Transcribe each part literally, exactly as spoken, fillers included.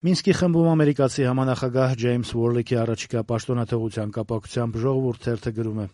Մինսկի խմբում ամերիկացի համանախագահ Ջեյմս Ուորլիքի առաջիկա պաշտոնաթողության կապակցությամբ «Ժողովուրդ» թերթը գրում է.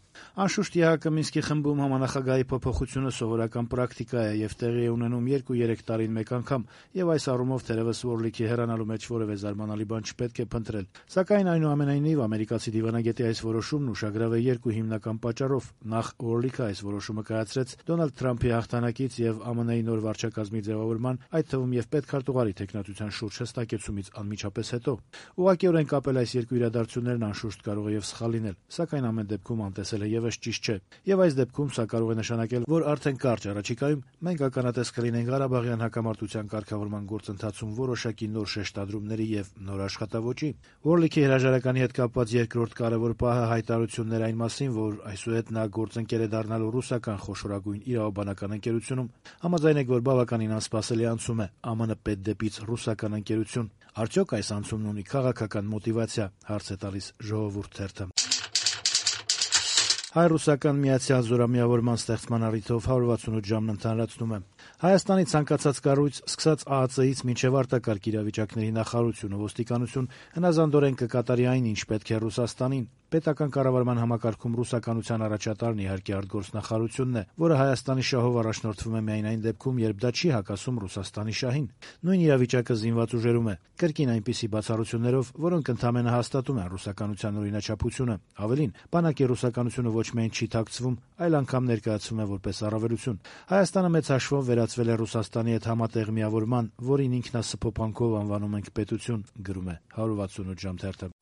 «Անշուշտ ԵԱՀԿ Մինսկի խմբում համանախագահի փոփոխությունը սովորական պրակտիկա է եւ տեղի է ունենում երկու-երեք տարին մեկ անգամ, եւ այս առումով թերեւս Ուորլիքի հեռանալու մեջ որեւէ զարմանալի բան չպետք է փնտրել։ Սակայն այնուամենայնիվ ամերիկացի դիվանագետի այս որոշումն ուշագրավ է երկու հիմնական պատճառով։ Նախ, Ուորլիքը այս որոշումը կայացրեց Դոնալդ Թրամփի հաղթանակից եւ ԱՄՆ-ի նոր վարչակազմի ձեւավորման, այդ թվում եւ պետքարտուղարի թեկնածության շուրջ հստակեցումից անմիջապես հետո։ Ուղղակիորեն կապել այս երկու իրադարձություններն անշուշտ կարող է եւ սխալ լինել, սակայն ամեն դեպքում անտեսել է եւս ճիշտ չէ։ Եվ այս դեպքում սա կարող է նշանակել, որ արդեն կարճ առաջիկայում մենք ականատես կլինենք Ղարաբաղյան հակամարտության կարգավորման գործընթացում որոշակի նոր շեշտադրումների եւ նոր աշխատավոճի։ Ուորլիքի հրաժարականի հետ կապված երկրորդ կարեւոր պահը հայտարարություններ այն մասին, որ այսուհետ նա գործընկեր է դառնալու ռուսական խոշորագույն իրավաբանական ընկերությունում, համաձայնեք, որ բավականին անսպասելի անցում է ԱՄՆ պետդեպից ռուսական ընկերություն։ Արդյոք այս անցումն ունի քաղաքական մոտիվացիա, հարց է տալիս «Ժողովուրդ» թերթը։ Հայ-ռուսական միացյալ զորամիավորման ստեղծման առիթով հարյուր վաթսունութ ժամն ընդհանրացնում է։ Հայաստանի ցանկացած կառույց, սկսած ԱԱՑ-ից մինչև արտակարգ իրավիճակների նախարարություն ու ոստիկանություն, հնազանդորեն կկատարի այն, ինչ պետք է Ռուսաստանին։ Պետական կառավարման համակարգում ռուսականության առաջատարն իհարկե արտգործնախարարությունն է, որը Հայաստանի շահով առաջնորդվում է միայն այն դեպքում, երբ դա չի հակասում Ռուսաստանի շահին։ Նույն իրավիճակը զինված ուժերում է, կրկին այնպիսի բացառություններով, որոնք ընդամենը հաստատում են ռուսականության օրինաչափությունը։ Ավելին, բանակի ռուսականությունը ոչ միայն չի թաքցվում, այլ անգամ ներկայացվում է որպես առավելություն։ Հայաստանը մեծ հաշվով վերածվել է Ռուսաստանի հետ համատեղ միավորման, որին ինքնասփոփանքով անվանում ենք պետություն, գրում է հարյուր վաթսունութ ժամ թերթը։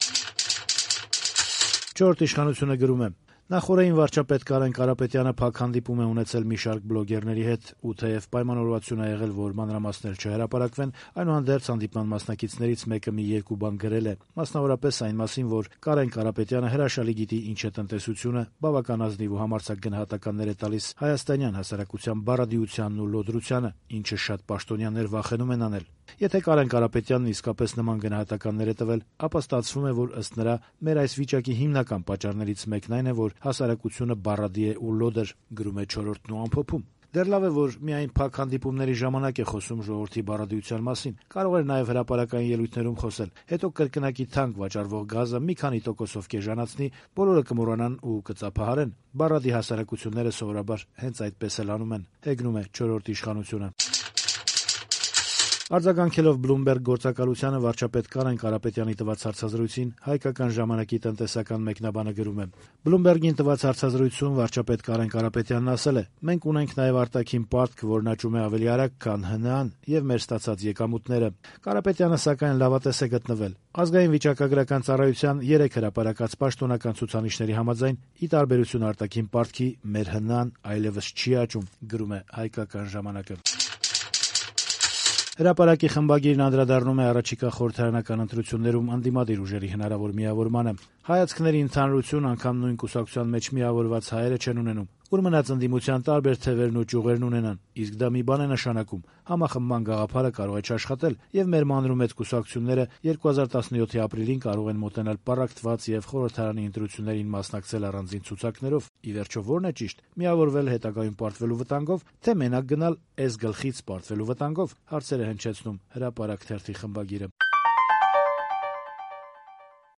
Չորրորդ իշխանությունը գրում է. Նախորդին վարչապետ Կարեն Կարապետյանը փակ հանդիպում է ունեցել մի շարք բլոգերների հետ, ու թեև պայմանավորվածություն է եղել, որ մանրամասներ չհրապարակվեն, այնուհանդերձ հանդիպման մասնակիցներից մեկը մի երկու բան գրել է, մասնավորապես այն մասին, որ Կարեն Կարապետյանը հրաշալի գիտի ինչ է տնտեսությունը, բավական ազնիվ ու համարձակ գնահատականներ է տալիս հայաստանյան հասարակության բառադիությանն ու լոդրությանը, ինչը շատ պաշտոնյաներ վախենում են անել։ Եթե Կարեն Կարապետյանն իսկապես նման գնահատականներ է տվել, ապա ստացվում է, որ ըստ նրա մեր այս վիճակի հիմնական պատճառներից մեկն այն է, որ հասարակությունը բառադի է ու լոդր, գրում է Չորրորդն ու ամփոփում։ Դեռ լավ է, որ միայն փակ հանդիպումների ժամանակ է խոսում ժողովրդի բառադիության մասին, կարող էր նաև հրապարակային ելույթներում խոսել, հետո կրկնակի թանկ վաճառվող գազը մի քանի տոկոսով կեժանացնի, բոլորը կմոռանան ու կծափահարեն։ Բառադի հասարակությունները սովորաբար հենց այդպես էլ անում են, հեգնում է Չորրորդ իշխանությունը։ Արձագանքելով Bloomberg գործակալությանը վարչապետ Կարեն Կարապետյանի տված հարցազրույցին հայկական ժամանակի տնտեսական մեկնաբանը գրում է. Bloomberg-ին տված հարցազրույցում վարչապետ Կարեն Կարապետյանն ասել է. «Մենք ունենք նաև արտաքին պարտք, որն աճում է ավելի արագ, քան ՀՆԱ-ն եւ մեր ստացած եկամուտները»։ Կարապետյանը սակայն լավատես է գտնվել։ Ազգային վիճակագրական ծառայության երեք հրապարակած պաշտոնական ցուցանիշների համաձայն, ի տարբերություն արտաքին պարտքի, մեր ՀՆԱ-ն այլևս չի աճում, գրում է հայկական ժամանակը։ Հրապարակի խմբագիրն անդրադառնում է առաջիկա խորհրդարանական ընտրություններում ընդդիմադիր ուժերի հնարավոր միավորմանը։ Հայացքների ընդհանրություն անգամ նույն կուսակցության մեջ միավորված հայերը չեն ունենում, ուր մնաց ընդդիմության տարբեր թևերն ու ճյուղերն ունենան, իսկ դա մի բան է նշանակում. համախմբման գաղափարը կարող է չաշխատել, եւ մեր մանրումեծ կուսակցությունները երկու հազար տասնյոթի ապրիլին կարող են մոտենալ պառակտված եւ խորհրդարանի ընտրություններին մասնակցել առանձին ցուցակներով։ Ի վերջո ո՞րն է ճիշտ՝ միավորվել հետագայում պարտվելու վտանգով, թե մենակ գնալ էս գլխից պարտվելու վտանգով, հարցեր է հնչեցնում Հրապարակ թերթի խմբագիրը։